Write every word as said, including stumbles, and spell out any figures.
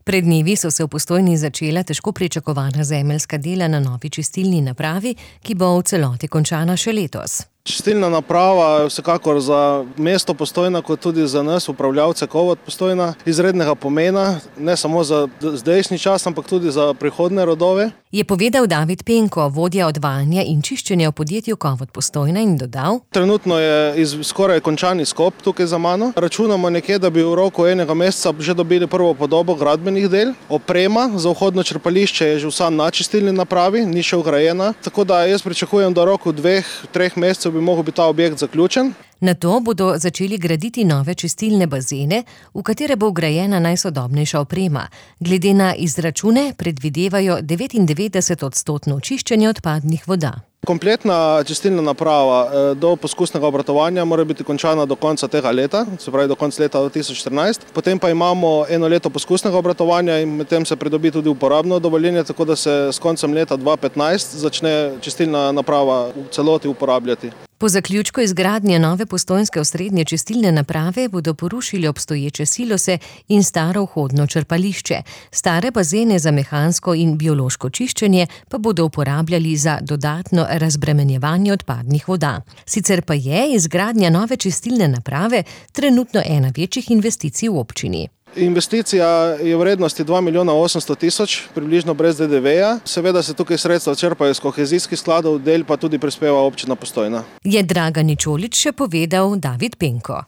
Pred dnevi so se v Postojni začela težko pričakovana zemeljska dela na novi čistilni napravi, ki bo v celoti končana še letos. Čistilna naprava je vsekakor za mesto Postojna, kot tudi za nas, upravljavce Kovot Postojna, izrednega pomena, ne samo za zdajšnji čas, ampak tudi za prihodnje rodove. Je povedal David Penko, vodja odvajanja in čiščenja v podjetju Kovot Postojna, in dodal: Trenutno je iz, skoraj končan izkop tukaj za mano. Računamo nekje, da bi v roku enega meseca že dobili prvo podobo gradbenih del. Oprema za vhodno črpališče je že vsa na čistilni napravi, ni še vgrajena, tako da jaz pričakujem, da v roku dveh, treh mesecev bi mogel biti ta objekt zaključen. Nato bodo začeli graditi nove čistilne bazene, v katere bo vgrajena najsodobnejša oprema. Glede na izračune predvidevajo devetindevetdeset odstotno čiščenje odpadnih voda. Kompletna čistilna naprava do poskusnega obratovanja mora biti končana do konca tega leta, se pravi do konca leta dva tisoč štirinajst. Potem pa imamo eno leto poskusnega obratovanja in medtem se pridobi tudi uporabno dovoljenje, tako da se s koncem leta dva tisoč petnajst začne čistilna naprava v celoti uporabljati. Po zaključku izgradnje nove postojnske osrednje čistilne naprave bodo porušili obstoječe silose in staro vhodno črpališče. Stare bazene za mehansko in biološko čiščenje pa bodo uporabljali za dodatno razbremenjevanje odpadnih voda. Sicer pa je izgradnja nove čistilne naprave trenutno ena večjih investicij v občini. Investicija je v vrednosti dva milijona osemsto tisoč, približno brez de de veja. Seveda se tukaj sredstva črpajo iz kohezijskih skladov, del pa tudi prispeva občina Postojna. Je Dragan Ničolič še povedal David Penko.